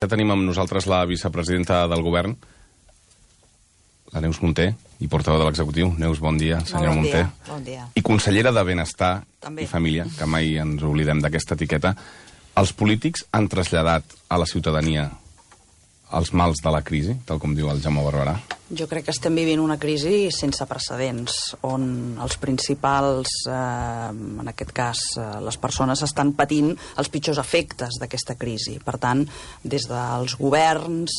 Ja tenim amb nosaltres la vicepresidenta del govern, la Neus Munté, i portaveu de l'executiu. Neus, bon dia, senyora Munté. Bon dia. I consellera de Benestar També. i Família, que mai ens oblidem d'aquesta etiqueta. Els polítics han traslladat a la ciutadania els mals de la crisi, tal com diu el Jaume Barberà? Jo crec que estem vivint una crisi sense precedents, on els principals, en aquest cas, les persones estan patint els pitjors efectes d'aquesta crisi. Per tant, des dels governs,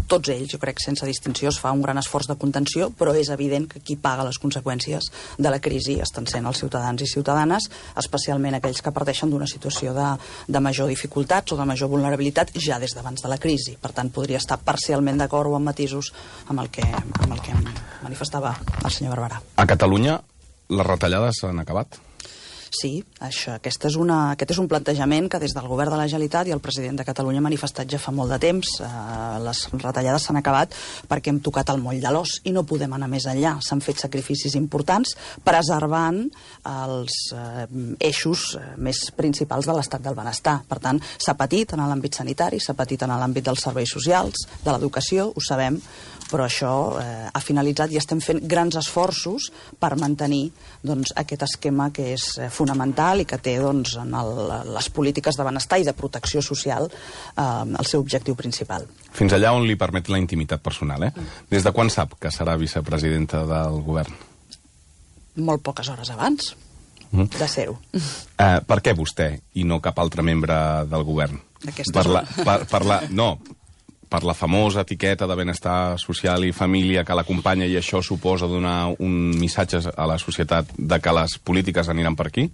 tots ells, jo crec, sense distinció, es fa un gran esforç de contenció, però és evident que qui paga les conseqüències de la crisi estan sent els ciutadans i ciutadanes, especialment aquells que parteixen d'una situació de major dificultats o de major vulnerabilitat ja des d'abans de la crisi. Per tant, podria estar parcialment d'acord o amb matisos amb el que manifestava el senyor Barberà. A Catalunya, les retallades s'han acabat? Sí, aquest és un plantejament que des del govern de la Generalitat i el president de Catalunya ha manifestat ja fa molt de temps. Les retallades s'han acabat perquè hem tocat el moll de l'os i no podem anar més enllà. S'han fet sacrificis importants preservant els eixos més principals de l'estat del benestar. Per tant, s'ha patit en l'àmbit sanitari, s'ha patit en l'àmbit dels serveis socials, de l'educació, ho sabem, però això ha finalitzat i estem fent grans esforços per mantenir aquest esquema que és fonamental i que té en les polítiques de benestar i de protecció social el seu objectiu principal. Fins allà on li permet la intimitat personal, Des de quan sap que serà vicepresidenta del govern? Molt poques hores abans de ser-ho. Per què vostè i no cap altre membre del govern? Per la famosa etiqueta de benestar social i família que l'acompanya i això suposa donar un missatge a la societat de que les polítiques aniran per aquí?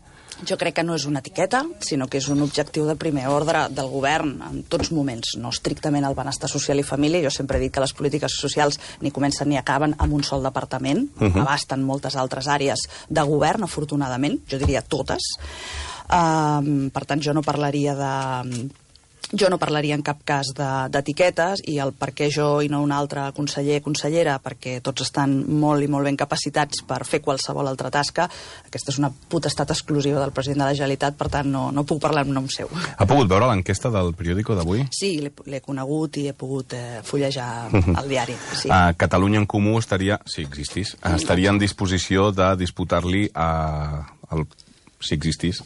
Jo crec que no és una etiqueta, sinó que és un objectiu de primer ordre del govern en tots moments, no estrictament el benestar social i família. Jo sempre he dit que les polítiques socials ni comencen ni acaben amb un sol departament, abasten moltes altres àrees de govern, afortunadament, jo diria totes. Per tant, jo no parlaria en cap cas d'etiquetes i el per què jo i no un altre conseller o consellera, perquè tots estan molt i molt ben capacitats per fer qualsevol altra tasca. Aquesta és una potestat exclusiva del president de la Generalitat, per tant no puc parlar en nom seu. Ha pogut veure l'enquesta del periòdico d'avui? Sí, l'he conegut i he pogut fullejar el diari. Sí. Catalunya en Comú estaria, si existís, estaria en disposició de disputar-li si existís,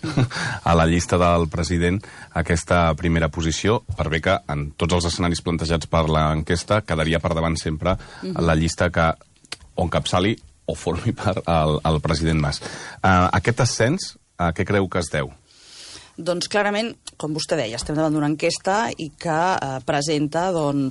a la llista del president aquesta primera posició, per bé que en tots els escenaris plantejats per l'enquesta quedaria per davant sempre la llista que o encapçali o formi part el president Mas. Aquest ascens, a què creu que es deu? Doncs clarament, com vostè deia, estem davant d'una enquesta i que presenta un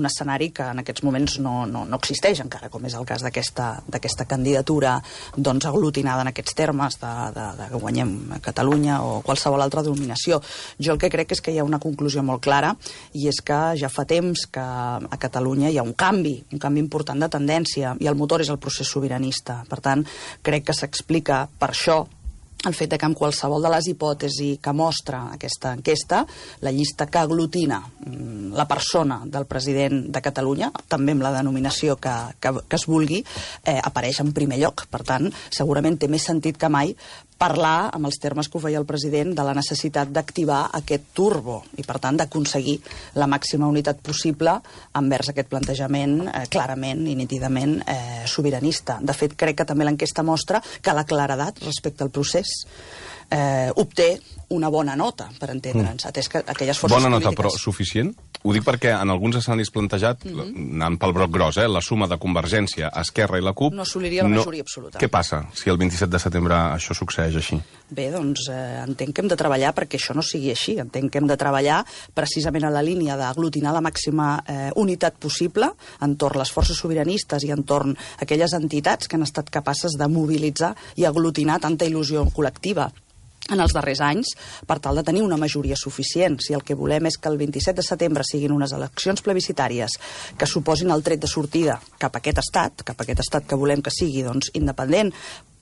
escenari que en aquests moments no existeix encara, com és el cas d'aquesta candidatura aglutinada en aquests termes de que guanyem Catalunya o qualsevol altra denominació. Jo el que crec és que hi ha una conclusió molt clara i és que ja fa temps que a Catalunya hi ha un canvi important de tendència i el motor és el procés sobiranista. Per tant, crec que s'explica per això el fet que amb qualsevol de les hipòtesis que mostra aquesta enquesta, la llista que aglutina la persona del president de Catalunya, també amb la denominació que es vulgui, apareix en primer lloc. Per tant, segurament té més sentit que mai parlar, amb els termes que ho feia el president, de la necessitat d'activar aquest turbo i, per tant, d'aconseguir la màxima unitat possible envers aquest plantejament clarament i nítidament sobiranista. De fet, crec que també l'enquesta mostra que la claredat respecte al procés obté una bona nota, per entendre'ns, atès que aquelles forces polítiques... Bona nota, però suficient? Ho dic perquè en alguns escenaris plantejats, anant pel broc gros, la suma de Convergència, Esquerra i la CUP... No assoliria la majoria absoluta. Què passa si el 27 de setembre això succeeix així? Bé, doncs entenc que hem de treballar perquè això no sigui així. Entenc que hem de treballar precisament a la línia d'aglutinar la màxima unitat possible entorn les forces sobiranistes i entorn aquelles entitats que han estat capaces de mobilitzar i aglutinar tanta il·lusió col·lectiva en els darrers anys, per tal de tenir una majoria suficient. Si el que volem és que el 27 de setembre siguin unes eleccions plebiscitàries que suposin el tret de sortida cap a aquest estat que volem que sigui independent,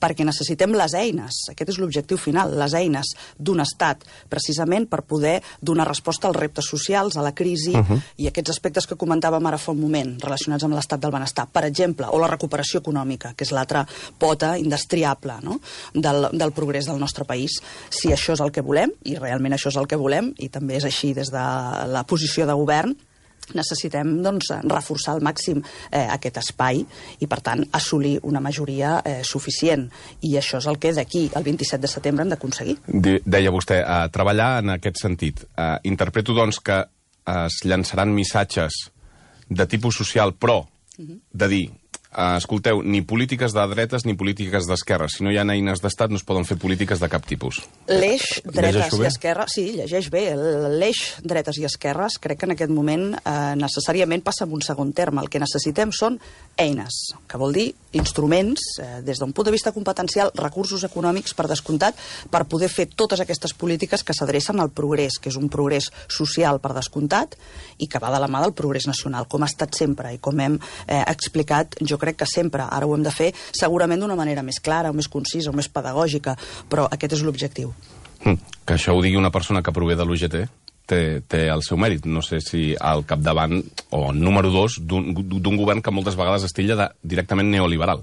perquè necessitem les eines, aquest és l'objectiu final, les eines d'un estat, precisament per poder donar resposta als reptes socials, a la crisi i aquests aspectes que comentàvem ara fa un moment, relacionats amb l'estat del benestar, per exemple, o la recuperació econòmica, que és l'altra pota indestriable, no?, del progrés del nostre país. Si això és el que volem, i realment això és el que volem, i també és així des de la posició de govern, necessitem doncs, reforçar al màxim aquest espai i, per tant, assolir una majoria suficient. I això és el que d'aquí al 27 de setembre hem d'aconseguir. Deia vostè, treballar en aquest sentit. Interpreto, doncs, que es llançaran missatges de tipus social, però de dir, escolteu, ni polítiques de dretes ni polítiques d'esquerres. Si no hi ha eines d'estat, no es poden fer polítiques de cap tipus. L'eix dretes i esquerres... Sí, llegeix bé. L'eix dretes i esquerres crec que en aquest moment necessàriament passa en un segon terme. El que necessitem són eines, que vol dir instruments, des d'un punt de vista competencial, recursos econòmics, per descomptat, per poder fer totes aquestes polítiques que s'adrecen al progrés, que és un progrés social, per descomptat, i que va de la mà del progrés nacional, com ha estat sempre, i com hem explicat, jo crec que sempre. Ara ho hem de fer segurament d'una manera més clara, o més concisa, o més pedagògica, però aquest és l'objectiu. Que això ho digui una persona que prové de l'UGT té el seu mèrit. No sé si al capdavant, o número 2, d'un govern que moltes vegades es titlla directament neoliberal.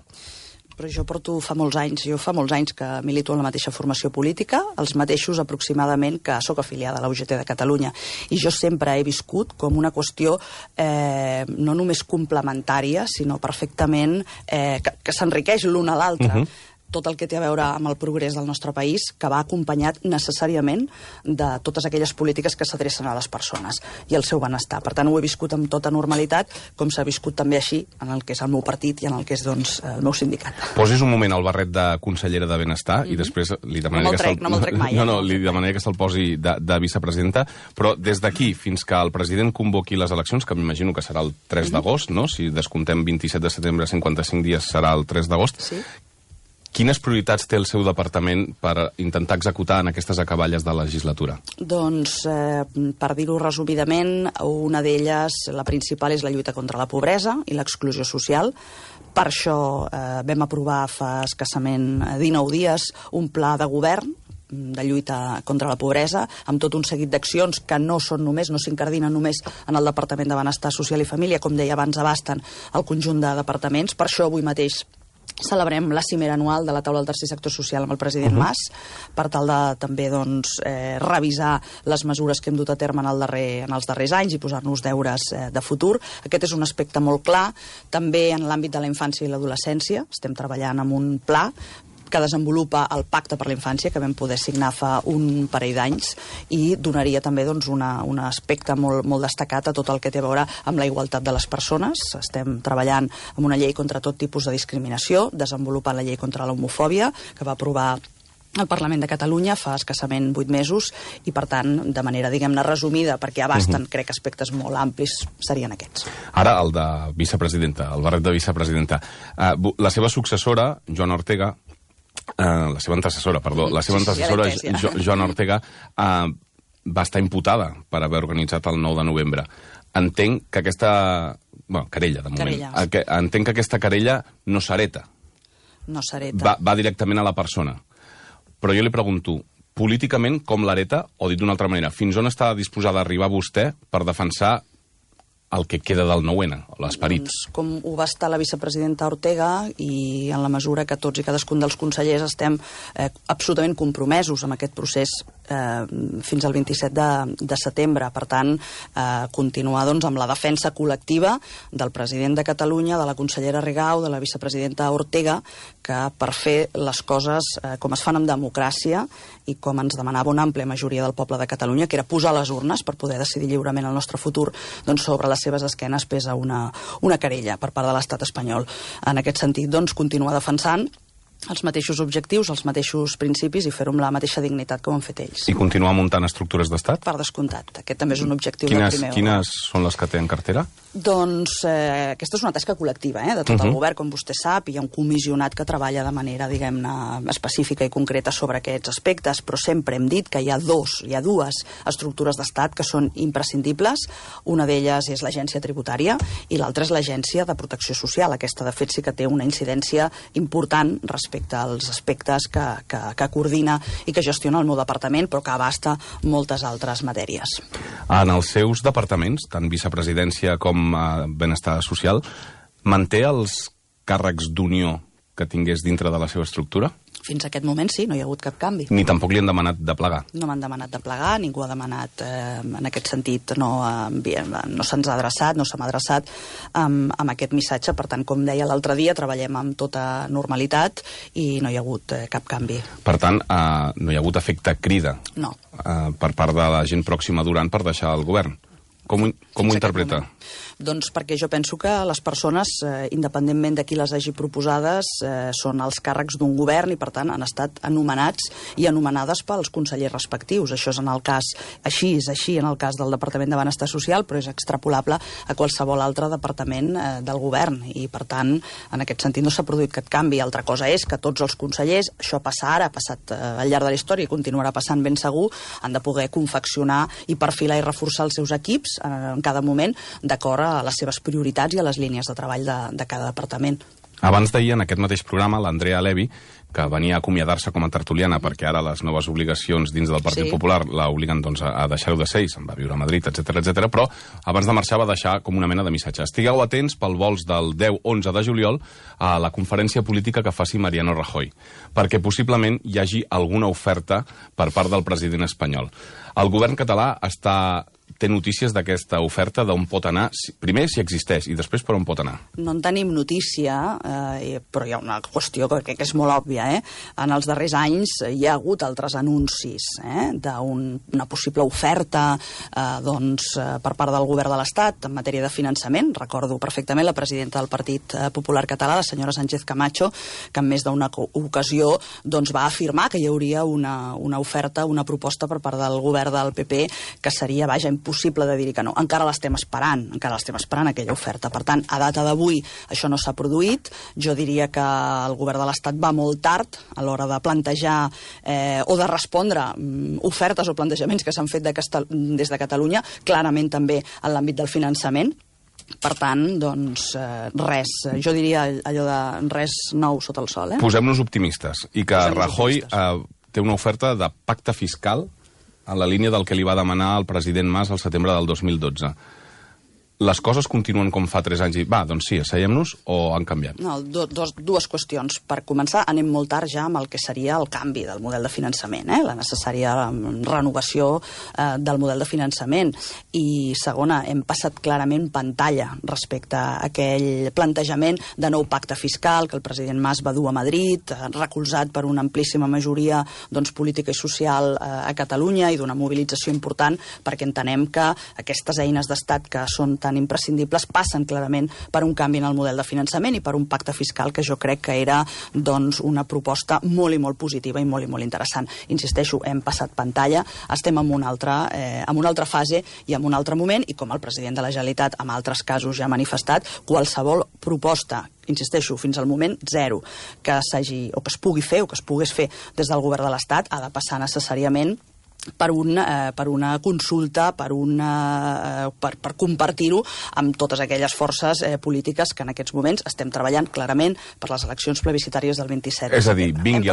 Però jo fa molts anys que milito en la mateixa formació política, els mateixos aproximadament que sóc afiliada a la UGT de Catalunya. I jo sempre he viscut com una qüestió no només complementària, sinó perfectament que s'enriqueix l'un a l'altre. Tot el que té a veure amb el progrés del nostre país, que va acompanyat necessàriament de totes aquelles polítiques que s'adrecen a les persones i al seu benestar. Per tant, ho he viscut amb tota normalitat, com s'ha viscut també així en el que és el meu partit i en el que és, doncs, el meu sindicat. Posis un moment el barret de consellera de Benestar i després li demanaré no me'l trec mai. Li demanaré que se'l posi de vicepresidenta, però des d'aquí fins que el president convoqui les eleccions, que m'imagino que serà el 3 d'agost, no? Si descomptem 27 de setembre, 55 dies serà el 3 d'agost. Sí. Quines prioritats té el seu departament per intentar executar en aquestes acaballes de legislatura? Doncs, per dir-ho resumidament, una d'elles, la principal, és la lluita contra la pobresa i l'exclusió social. Per això vam aprovar fa escassament 19 dies un pla de govern de lluita contra la pobresa, amb tot un seguit d'accions que no s'incardinen només en el Departament de Benestar Social i Família, com deia abans, abasten el conjunt de departaments. Per això avui mateix celebrem la cimera anual de la taula del tercer sector social amb el president Mas, per tal de també revisar les mesures que hem dut a terme en els darrers anys i posar-nos deures de futur. Aquest és un aspecte molt clar. També en l'àmbit de la infància i l'adolescència estem treballant amb un pla que desenvolupa el Pacte per la Infància, que vam poder signar fa un parell d'anys, i donaria també un aspecte molt destacat a tot el que té a veure amb la igualtat de les persones. Estem treballant amb una llei contra tot tipus de discriminació, desenvolupant la llei contra l'homofòbia, que va aprovar el Parlament de Catalunya fa escassament 8 mesos, i per tant, de manera, diguem-ne, resumida, perquè abasten, crec, aspectes molt amplis, serien aquests. Ara, el de vicepresidenta, el barret de vicepresidenta. La seva successora, Joana Ortega, la seva antecessora, Joana Ortega, va estar imputada per haver organitzat el 9 de novembre. Entenc que aquesta... querella, de moment. Entenc que aquesta querella no s'hereta. No s'hereta. Va directament a la persona. Però jo li pregunto, políticament, com l'hereta? O dit d'una altra manera, fins on està disposada a arribar vostè per defensar el que queda del 9-N, l'esperit? Doncs, com ho va estar la vicepresidenta Ortega, i en la mesura que tots i cadascun dels consellers estem absolutament compromesos amb aquest procés fins al 27 de setembre. Per tant, continuar amb la defensa col·lectiva del president de Catalunya, de la consellera Rigau, de la vicepresidenta Ortega, que per fer les coses com es fan amb democràcia i com ens demanava una àmplia majoria del poble de Catalunya, que era posar les urnes per poder decidir lliurement el nostre futur, doncs sobre les seves esquenes pesa una querella per part de l'estat espanyol. En aquest sentit, continuar defensant els mateixos objectius, els mateixos principis, i fer-ho amb la mateixa dignitat com han fet ells. I continuar muntant estructures d'estat? Per descomptat. Aquest també és un objectiu del primer. Quines són les que té en cartera? Doncs aquesta és una tasca col·lectiva de tot el govern, com vostè sap. Hi ha un comissionat que treballa de manera, diguem-ne, específica i concreta sobre aquests aspectes, però sempre hem dit que hi ha dues estructures d'estat que són imprescindibles. Una d'elles és l'agència tributària i l'altra és l'agència de protecció social. Aquesta, de fet, sí que té una incidència important respecte respecte als aspectes que coordina i que gestiona el meu departament, però que abasta moltes altres matèries. En els seus departaments, tant vicepresidència com benestar social, manté els càrrecs d'unió que tingués dintre de la seva estructura? Fins a aquest moment sí, no hi ha hagut cap canvi. Ni tampoc li han demanat de plegar? No m'han demanat de plegar, ningú ha demanat en aquest sentit, no se'ns ha adreçat, no se m'ha adreçat amb aquest missatge. Per tant, com deia l'altre dia, treballem amb tota normalitat i no hi ha hagut cap canvi. Per tant, no hi ha hagut efecte crida per part de la gent pròxima a Duran per deixar el govern. Com ho interpreta? Doncs perquè jo penso que les persones, independentment de qui les hagi proposades, són els càrrecs d'un govern i, per tant, han estat anomenats i anomenades pels consellers respectius. Això és així en el cas del Departament de Benestar Social, però és extrapolable a qualsevol altre departament del govern i, per tant, en aquest sentit no s'ha produït cap canvi. Altra cosa és que tots els consellers, això passa ara, ha passat al llarg de la història i continuarà passant ben segur, han de poder confeccionar i perfilar i reforçar els seus equips en cada moment d'acord a les seves prioritats i a les línies de treball de cada departament. Abans d'ahir, en aquest mateix programa, l'Andrea Levy, que venia a acomiadar-se com a tertuliana perquè ara les noves obligacions dins del Partit Popular l'obliguen a deixar-ho de ser i se'n va viure a Madrid, etc. Però abans de marxar va deixar com una mena de missatge. Estigueu atents pel vols del 10-11 de juliol a la conferència política que faci Mariano Rajoy, perquè possiblement hi hagi alguna oferta per part del president espanyol. El govern català té notícies d'aquesta oferta, d'on pot anar, primer si existeix i després per on pot anar? No en tenim notícia, però hi ha una qüestió que crec que és molt òbvia. En els darrers anys hi ha hagut altres anuncis d'una possible oferta per part del govern de l'Estat en matèria de finançament. Recordo perfectament la presidenta del Partit Popular Català, la senyora Sánchez Camacho, que en més d'una ocasió va afirmar que hi hauria una oferta, una proposta per part del govern del PP que seria, impossible de dir que no. Encara l'estem esperant aquella oferta. Per tant, a data d'avui això no s'ha produït. Jo diria que el govern de l'Estat va molt tard a l'hora de plantejar o de respondre ofertes o plantejaments que s'han fet des de Catalunya, clarament també en l'àmbit del finançament. Per tant, res. Jo diria allò de res nou sota el sol. Posem-nos optimistes. I que Rajoy té una oferta de pacte fiscal en la línia del que li va demanar el president Mas al setembre del 2012. Les coses continuen com fa 3 anys i, sí, asseiem-nos o han canviat? No, dues qüestions. Per començar, anem molt tard ja amb el que seria el canvi del model de finançament, la necessària renovació del model de finançament. I segona, hem passat clarament pantalla respecte a aquell plantejament de nou pacte fiscal que el president Mas va dur a Madrid, recolzat per una amplíssima majoria política i social a Catalunya i d'una mobilització important, perquè entenem que aquestes eines d'estat que són tan imprescindibles passen clarament per un canvi en el model de finançament i per un pacte fiscal que jo crec que era una proposta molt i molt positiva i molt interessant. Insisteixo, hem passat pantalla, estem en una altra fase i en un altre moment, i com el president de la Generalitat en altres casos ja ha manifestat, qualsevol proposta, insisteixo, fins al moment zero, que s'hagi o que es pugui fer o que es pogués fer des del govern de l'Estat ha de passar necessàriament per una consulta, per compartir-ho amb totes aquelles forces polítiques que en aquests moments estem treballant clarament per les eleccions plebiscitàries del 27 de setembre. És a dir, vingui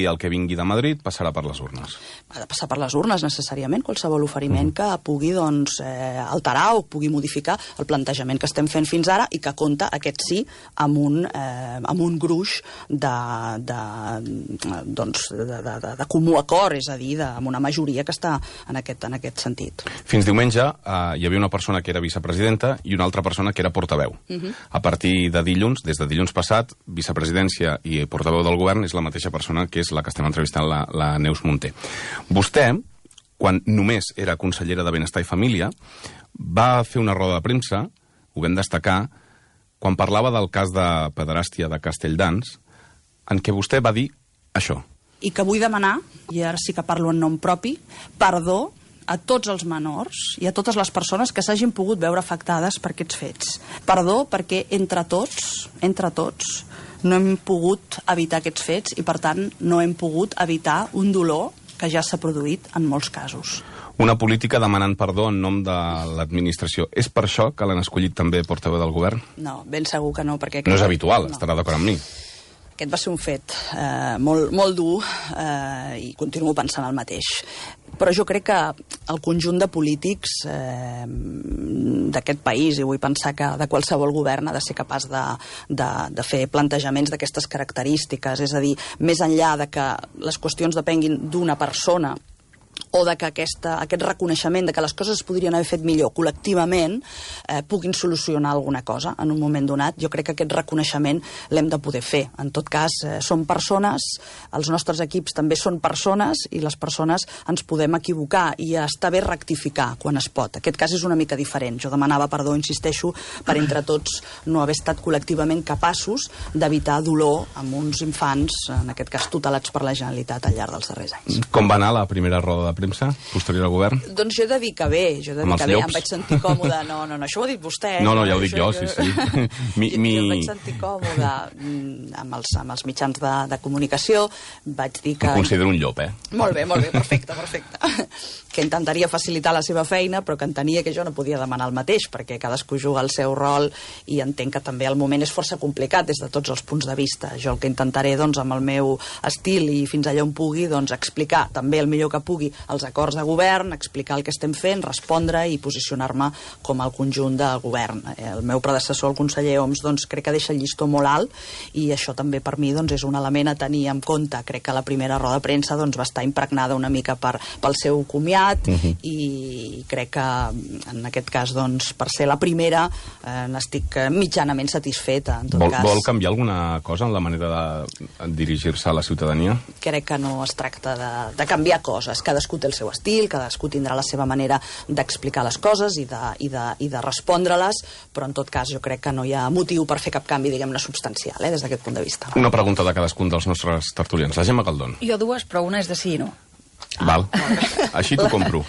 el que vingui de Madrid, passarà per les urnes. Ha de passar per les urnes, necessàriament, qualsevol oferiment que pugui alterar o pugui modificar el plantejament que estem fent fins ara i que compta, aquest sí, amb un gruix de comú acord, és a dir, amb una majoria que està en aquest sentit. Fins diumenge hi havia una persona que era vicepresidenta i una altra persona que era portaveu. A partir de dilluns, des de dilluns passat, vicepresidència i portaveu del govern és la mateixa persona que és la que estem entrevistant, la Neus Munté. Vostè, quan només era consellera de Benestar i Família, va fer una roda de premsa, ho vam destacar, quan parlava del cas de pederàstia de Castelldans, en què vostè va dir això. I que vull demanar, i ara sí que parlo en nom propi, perdó a tots els menors i a totes les persones que s'hagin pogut veure afectades per aquests fets. Perdó perquè entre tots, no hem pogut evitar aquests fets i, per tant, no hem pogut evitar un dolor que ja s'ha produït en molts casos. Una política demanant perdó en nom de l'administració. És per això que l'han escollit també portaveu del govern? No, ben segur que no, perquè... No és habitual, estarà d'acord amb mi. Aquest va ser un fet molt dur i continuo pensant el mateix. Però jo crec que el conjunt de polítics d'aquest país, i vull pensar que de qualsevol govern, ha de ser capaç de fer plantejaments d'aquestes característiques. És a dir, més enllà de que les qüestions depenguin d'una persona o de que aquest reconeixement de que les coses es podrien haver fet millor col·lectivament puguin solucionar alguna cosa en un moment donat. Jo crec que aquest reconeixement l'hem de poder fer. En tot cas, som persones, els nostres equips també són persones i les persones ens podem equivocar i està bé rectificar quan es pot. Aquest cas és una mica diferent. Jo demanava perdó, insisteixo, per entre tots no haver estat col·lectivament capaços d'evitar dolor amb uns infants, en aquest cas tutelats per la Generalitat al llarg dels darrers anys. Com va anar la primera roda de premsa posterior al govern? Doncs jo he de dir que bé, em vaig sentir còmode. No, això ho ha dit vostè. No, ja ho dic jo, sí. Jo em vaig sentir còmode amb els mitjans de comunicació, vaig dir que... Em considero un llop, Molt bé, perfecte. Que intentaria facilitar la seva feina, però que entenia que jo no podia demanar el mateix, perquè cadascú juga el seu rol i entenc que també el moment és força complicat des de tots els punts de vista. Jo el que intentaré, doncs, amb el meu estil i fins allà on pugui, doncs, explicar també el millor que pugui els acords de govern, explicar el que estem fent, respondre i posicionar-me com el conjunt del govern. El meu predecessor, el conseller Homs, doncs, crec que deixa el llistó molt alt i això també per mi doncs, és un element a tenir en compte. Crec que la primera roda de premsa doncs, va estar impregnada una mica pel seu comiat i crec que en aquest cas, doncs, per ser la primera, n'estic mitjanament satisfeta. Vol canviar alguna cosa en la manera de dirigir-se a la ciutadania? Crec que no es tracta de canviar coses. Cadascú té el seu estil, cadascú tindrà la seva manera d'explicar les coses i de respondre-les, però en tot cas jo crec que no hi ha motiu per fer cap canvi, diguem-ne, substancial, des d'aquest punt de vista. Una pregunta de cadascun dels nostres tertulians. La Gemma Caldón. Jo dues, però una és de sí i no. Val. Així t'ho compro.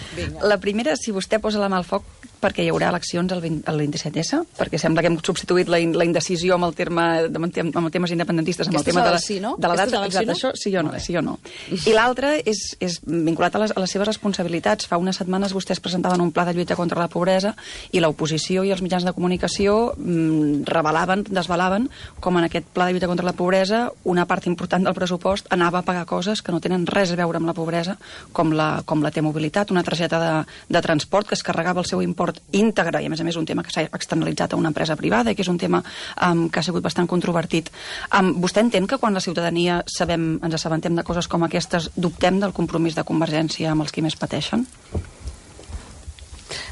La primera, si vostè posa la mà al foc perquè hi haurà eleccions el 27S, perquè sembla que hem substituït la indecisió amb temes independentistes, amb el tema de l'edat. Exacte, això sí o no. I l'altra és vinculat a les seves responsabilitats. Fa unes setmanes vostès presentaven un pla de lluita contra la pobresa i l'oposició i els mitjans de comunicació desvelaven com en aquest pla de lluita contra la pobresa una part important del pressupost anava a pagar coses que no tenen res a veure amb la pobresa, com la T-mobilitat, una targeta de transport que es carregava el seu import íntegre, i a més un tema que s'ha externalitzat a una empresa privada i que és un tema que ha sigut bastant controvertit. Vostè entén que quan la ciutadania ens assabentem de coses com aquestes dubtem del compromís de Convergència amb els qui més pateixen?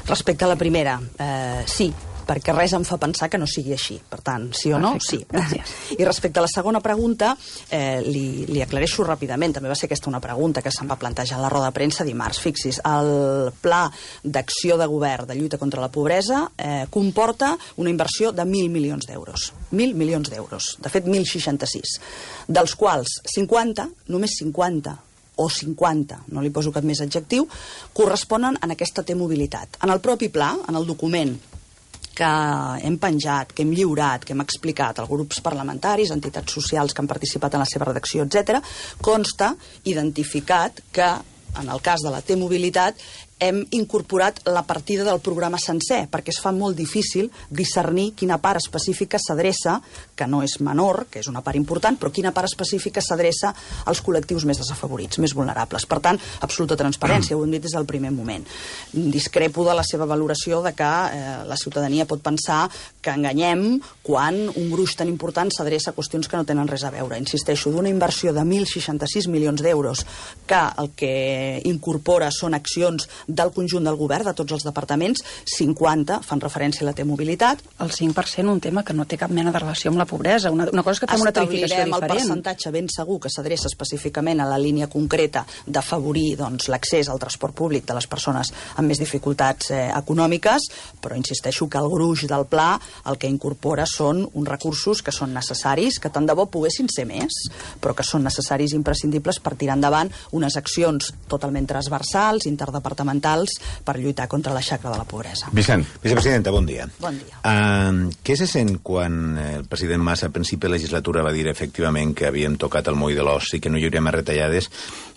Respecte a la primera, sí, perquè res em fa pensar que no sigui així. Per tant, sí o no? Sí. Gràcies. I respecte a la segona pregunta, li aclareixo ràpidament. També va ser aquesta una pregunta que se'm va plantejar a la roda de premsa dimarts. Fixis, el pla d'acció de govern de lluita contra la pobresa comporta una inversió de 1.000 milions d'euros. 1.000 milions d'euros. De fet, 1.066. Dels quals 50, només 50, o 50, no li poso cap més adjectiu, corresponen a aquesta T-mobilitat. En el propi pla, en el document que hem penjat, que hem lliurat, que hem explicat als grups parlamentaris, entitats socials que han participat en la seva redacció, etc., consta identificat que, en el cas de la T-mobilitat, hem incorporat la partida del programa sencer, perquè es fa molt difícil discernir quina part específica s'adreça, que no és menor, que és una part important, però quina part específica s'adreça als col·lectius més desafavorits, més vulnerables. Per tant, absoluta transparència, ho hem dit des del primer moment. Discrepo de la seva valoració de que la ciutadania pot pensar que enganyem quan un gruix tan important s'adreça a qüestions que no tenen res a veure. Insisteixo, d'una inversió de 1.066 milions d'euros que el que incorpora són accions del conjunt del govern, de tots els departaments, 50 fan referència a la T-mobilitat. El 5% un tema que no té cap mena de relació amb la pobresa. Una cosa és que fem una tarificació diferent. Establirem el percentatge ben segur que s'adreça específicament a la línia concreta d'afavorir l'accés al transport públic de les persones amb més dificultats econòmiques, però insisteixo que el gruix del pla el que incorpora són uns recursos que són necessaris, que tant de bo poguessin ser més, però que són necessaris i imprescindibles per tirar endavant unes accions totalment transversals, interdepartamentals, per lluitar contra la xacra de la pobresa. Vicent. Vicepresidenta, bon dia. Bon dia. Què se sent quan el president Mas a principi de legislatura va dir efectivament que havíem tocat el moll de l'os i que no hi hauria més retallades,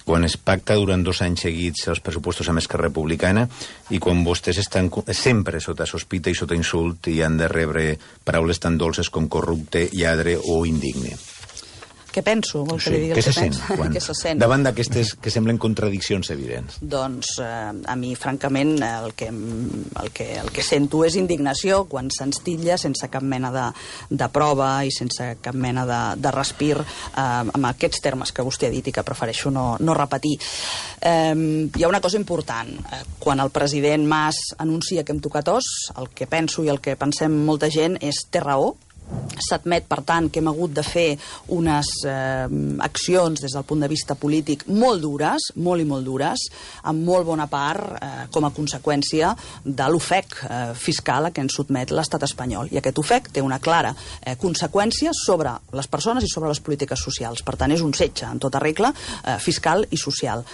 quan es pacta durant 2 anys seguits els pressupostos amb Esquerra Republicana i quan vostès estan sempre sota sospita i sota insult i han de rebre paraules tan dolces com corrupte, lladre o indigne? Què penso? Vol que li digui què se sent? Què se sent? Davant d'aquestes que semblen contradiccions evidents. Doncs a mi, francament, el que sento és indignació quan se'ns titlla sense cap mena de prova i sense cap mena de respir amb aquests termes que vostè ha dit i que prefereixo no repetir. Hi ha una cosa important. Quan el president Mas anuncia que hem tocat os, el que penso i el que pensem molta gent és té raó. S'admet, per tant, que hem hagut de fer unes accions des del punt de vista polític molt dures, molt i molt dures, en molt bona part com a conseqüència de l'ofec fiscal a què ens sotmet l'estat espanyol. I aquest ofec té una clara conseqüència sobre les persones i sobre les polítiques socials. Per tant, és un setge, en tota regla, fiscal i social.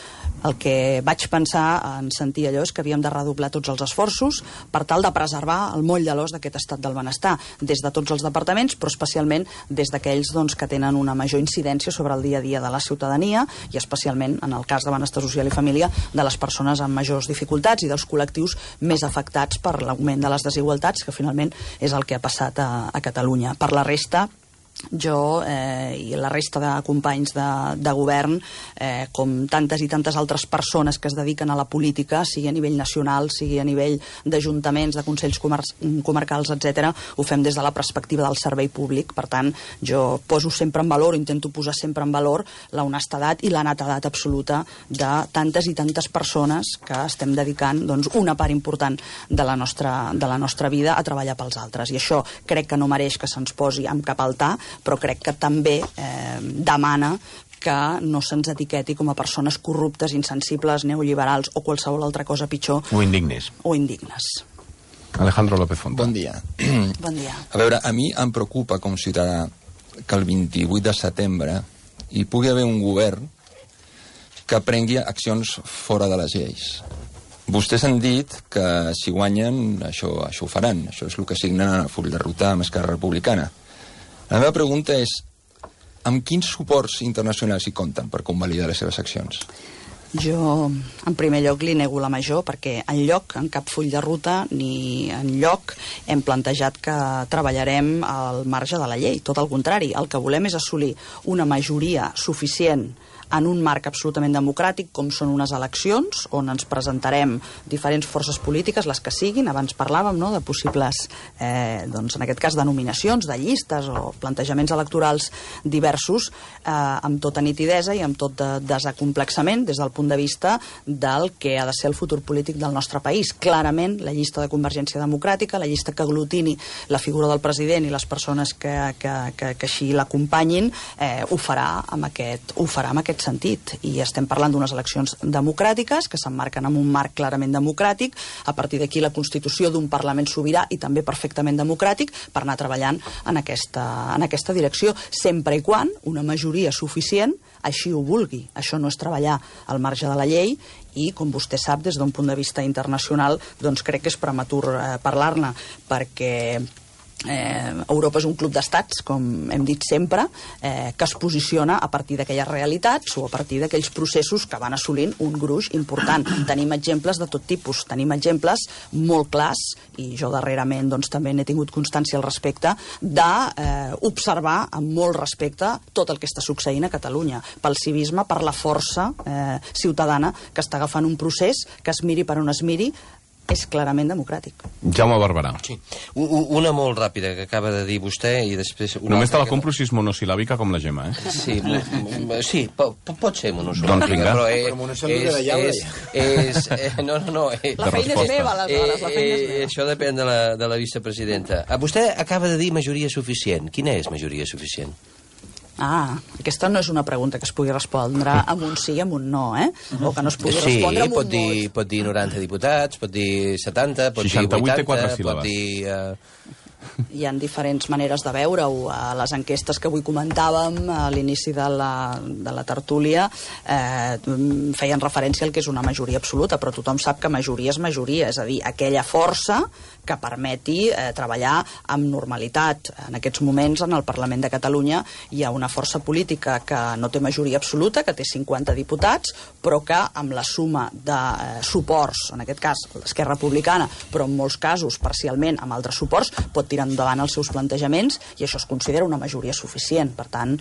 El que vaig pensar en sentir allò és que havíem de redoblar tots els esforços per tal de preservar el moll de l'os d'aquest estat del benestar, des de tots els departaments, però especialment des d'aquells que tenen una major incidència sobre el dia a dia de la ciutadania i especialment, en el cas de benestar social i família, de les persones amb majors dificultats i dels col·lectius més afectats per l'augment de les desigualtats, que finalment és el que ha passat a Catalunya. Per la resta, jo i la resta de companys de govern, com tantes i tantes altres persones que es dediquen a la política, sigui a nivell nacional, sigui a nivell d'ajuntaments, de consells comarcals, etc., ho fem des de la perspectiva del servei públic. Per tant, jo poso sempre en valor, intento posar sempre en valor la honestedat i la netedat absoluta de tantes i tantes persones que estem dedicant una part important de la nostra vida a treballar pels altres. I això crec que no mereix que se'ns posi amb cap altar, però crec que també demana que no se'ns etiqueti com a persones corruptes, insensibles, neoliberals o qualsevol altra cosa pitjor. O indignes. Alejandro López Fontà. Bon dia. Bon dia. A veure, a mi em preocupa com a ciutadà que el 28 de setembre hi pugui haver un govern que prengui accions fora de les lleis. Vostès han dit que si guanyen això ho faran. Això és el que signen a full de ruta amb Esquerra Republicana. La meva pregunta és, amb quins suports internacionals hi compten per convalidar les seves accions? Jo, en primer lloc, li nego la major, perquè enlloc, en cap full de ruta, ni enlloc hem plantejat que treballarem al marge de la llei. Tot el contrari, el que volem és assolir una majoria suficient en un marc absolutament democràtic, com són unes eleccions, on ens presentarem diferents forces polítiques, les que siguin. Abans parlàvem de possibles, en aquest cas, denominacions de llistes o plantejaments electorals diversos, amb tota nitidesa i amb tot desacomplexament des del punt de vista del que ha de ser el futur polític del nostre país. Clarament, la llista de Convergència Democràtica, la llista que aglutini la figura del president i les persones que així l'acompanyin, ho farà amb aquest sentit. I estem parlant d'unes eleccions democràtiques que s'emmarquen en un marc clarament democràtic, a partir d'aquí la constitució d'un Parlament sobirà i també perfectament democràtic per anar treballant en aquesta direcció, sempre i quan una majoria suficient així ho vulgui. Això no és treballar al marge de la llei i, com vostè sap, des d'un punt de vista internacional, crec que és prematur parlar-ne, perquè Europa és un club d'estats, com hem dit sempre, que es posiciona a partir d'aquelles realitats o a partir d'aquells processos que van assolint un gruix important. Tenim exemples de tot tipus, tenim exemples molt clars, i jo darrerament també n'he tingut constància al respecte, d'observar amb molt respecte tot el que està succeint a Catalunya, pel civisme, per la força ciutadana que està agafant un procés que es miri per on es miri, és clarament democràtic. Jaume Barberà. Sí. Una molt ràpida que acaba de dir vostè i després... Només te la compro si és monosil·làbica com la Gemma, Sí, pot ser monosil·làbica. Doncs vinga. Però monosil·làbica de llaure. No. La feina és meva, aleshores, la feina és meva. Això depèn de la vicepresidenta. Vostè acaba de dir majoria suficient. Quina és majoria suficient? Aquesta no és una pregunta que es pugui respondre amb un sí i amb un no, o que no es pugui respondre amb un no. Pot dir 90 diputats, pot dir 70, pot dir 80, pot dir... Hi ha diferents maneres de veure-ho. A les enquestes que avui comentàvem a l'inici de la tertúlia feien referència al que és una majoria absoluta, però tothom sap que majoria és majoria, és a dir, aquella força que permeti treballar amb normalitat. En aquests moments, en el Parlament de Catalunya, hi ha una força política que no té majoria absoluta, que té 50 diputats, però que amb la suma de suports, en aquest cas l'Esquerra Republicana, però en molts casos parcialment amb altres suports, pot tirar endavant els seus plantejaments i això es considera una majoria suficient. Per tant,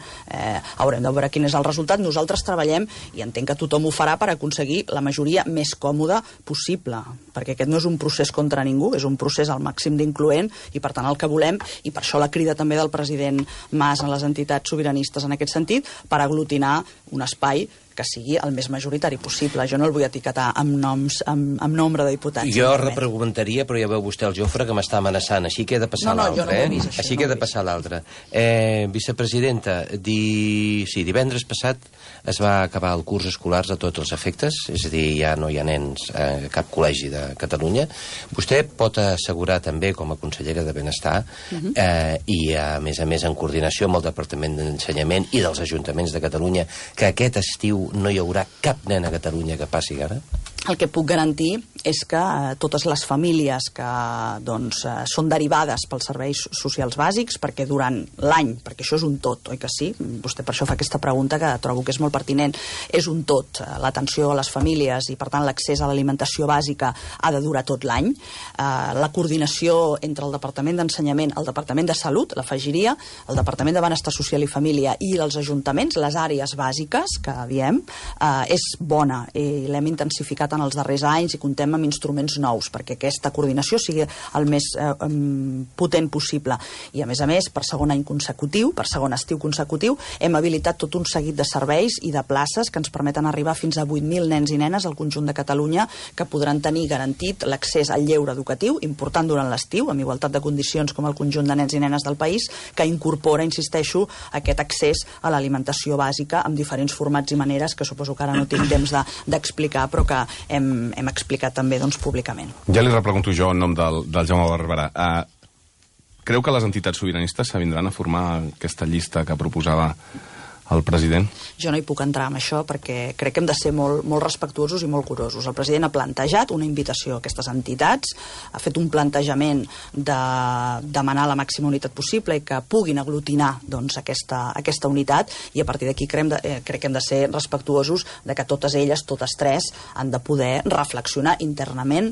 haurem de veure quin és el resultat. Nosaltres treballem, i entenc que tothom ho farà, per aconseguir la majoria més còmoda possible, perquè aquest no és un procés contra ningú, és un procés al màxim d'incloent i per tant el que volem, i per això la crida també del president Mas a les entitats sobiranistes en aquest sentit, per aglutinar un espai que sigui el més majoritari possible. Jo no el vull etiquetar amb noms, amb nombre de diputats. Jo repreguntaria, però ja veu vostè el Jofre que m'està amenaçant, així que he de passar l'altre. Així que he de passar l'altre. Vicepresidenta, divendres passat es va acabar el curs escolar a tots els efectes, és a dir, ja no hi ha nens a cap col·legi de Catalunya. Vostè pot assegurar també, com a consellera de Benestar, i a més en coordinació amb el Departament d'Ensenyament i dels Ajuntaments de Catalunya, que aquest estiu no hi haurà cap nen a Catalunya que passi gana? El que puc garantir és que totes les famílies que són derivades pels serveis socials bàsics, perquè durant l'any, perquè això és un tot, oi que sí? Vostè per això fa aquesta pregunta que trobo que és molt pertinent. És un tot, l'atenció a les famílies i per tant l'accés a l'alimentació bàsica ha de durar tot l'any. La coordinació entre el Departament d'Ensenyament, el Departament de Salut, l'afegiria, el Departament de Benestar Social i Família i els ajuntaments, les àrees bàsiques que diem, és bona i l'hem intensificat en els darrers anys i comptem amb instruments nous perquè aquesta coordinació sigui el més potent possible. I a més, per segon any consecutiu, per segon estiu consecutiu, hem habilitat tot un seguit de serveis i de places que ens permeten arribar fins a 8.000 nens i nenes al conjunt de Catalunya que podran tenir garantit l'accés al lleure educatiu, important durant l'estiu, amb igualtat de condicions com el conjunt de nens i nenes del país, que incorpora, insisteixo, aquest accés a l'alimentació bàsica amb diferents formats i maneres que suposo que ara no tinc temps d'explicar, però que hem explicat també públicament. Ja li repregunto jo en nom del Jaume Barberà. Creu que les entitats sobiranistes s'avindran a formar aquesta llista que proposava el president? Jo no hi puc entrar en això perquè crec que hem de ser molt respectuosos i molt curosos. El president ha plantejat una invitació a aquestes entitats, ha fet un plantejament de demanar la màxima unitat possible i que puguin aglutinar aquesta unitat, i a partir d'aquí crec que hem de ser respectuosos de que totes elles, totes tres, han de poder reflexionar internament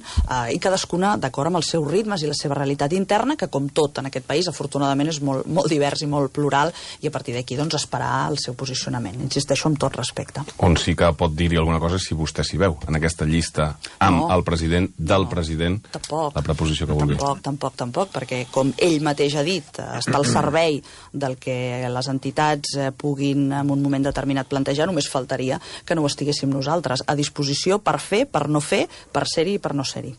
i cadascuna d'acord amb els seus ritmes i la seva realitat interna, que com tot en aquest país afortunadament és molt divers i molt plural, i a partir d'aquí esperar el seu posicionament. Insisteixo amb tot respecte. On sí que pot dir-hi alguna cosa si vostè s'hi veu, en aquesta llista amb el president, del president, la preposició que vulgui. Tampoc, perquè com ell mateix ha dit, està al servei del que les entitats puguin en un moment determinat plantejar, només faltaria que no ho estiguéssim nosaltres, a disposició per fer, per no fer, per ser-hi i per no ser-hi.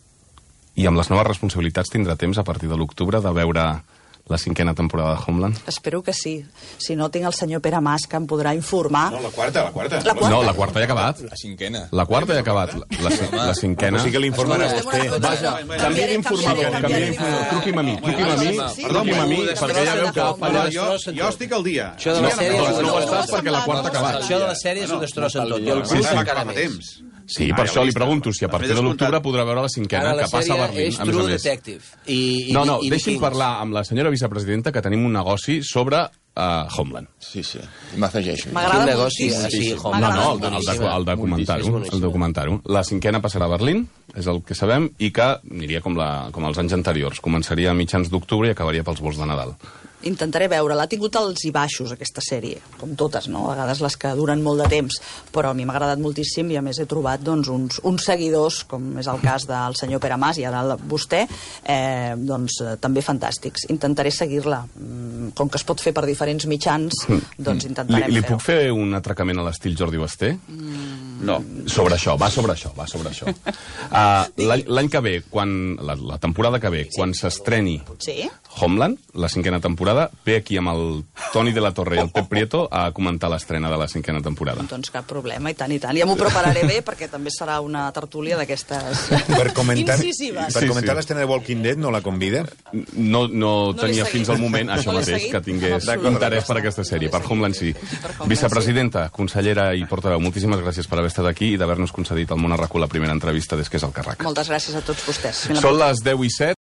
I amb les noves responsabilitats tindrà temps a partir de l'octubre de veure la 5a temporada de Homeland? Espero que sí. Si no, tinc el senyor Pere Mas que em podrà informar. No, la quarta. No, la quarta ja ha acabat. La 5a. La quarta ja ha acabat. La 5a... O sigui que l'informarà vostè. Vaja, canvia d'informador. Truqui'm a mi, perquè ja veu que ha fallat. Jo estic al dia. Això de la sèrie no ho estàs perquè la quarta ha acabat. Això de la sèrie s'ho destrossen tot. I el Sí, curs sí, encara fa més. temps. Sí, per això li pregunto si a partir de l'octubre podrà veure la 5a, que passa a Berlín, és a més a True més. Detective. No, deixi'm parlar amb la senyora vicepresidenta, que tenim un negoci sobre Homeland. Sí, m'afegeixo. M'agrada negoci moltíssim. No, el de documentar-ho. La 5a passarà a Berlín, és el que sabem, i que aniria com els anys anteriors. Començaria a mitjans d'octubre i acabaria pels vols de Nadal. Intentaré veure. L'ha tingut alts i baixos, aquesta sèrie, com totes, no? A vegades les que duren molt de temps, però a mi m'ha agradat moltíssim i a més he trobat uns seguidors, com és el cas del senyor Pere Mas i ara vostè, també fantàstics. Intentaré seguir-la. Com que es pot fer per diferents mitjans, doncs intentarem fer-ho. Li puc fer un atracament a l'estil Jordi Basté? No. Va sobre això. L'any que ve, la temporada que ve, quan s'estreni Homeland, la 5a temporada, ve aquí amb el Toni de la Torre i el Pep Prieto a comentar l'estrena de la 5a temporada. Doncs cap problema, i tant. Ja m'ho prepararé bé, perquè també serà una tertúlia d'aquestes incisives. Per comentar l'estrena de Walking Dead, no la convida? No tenia fins al moment això mateix, que tingués interès per aquesta sèrie. Per Homeland sí. Vicepresidenta, consellera i portaveu, moltíssimes gràcies per haver estat aquí i d'haver-nos concedit al Món a RAC1 la primera entrevista des que és al càrrec. Moltes gràcies a tots vostès. Són les 10:07.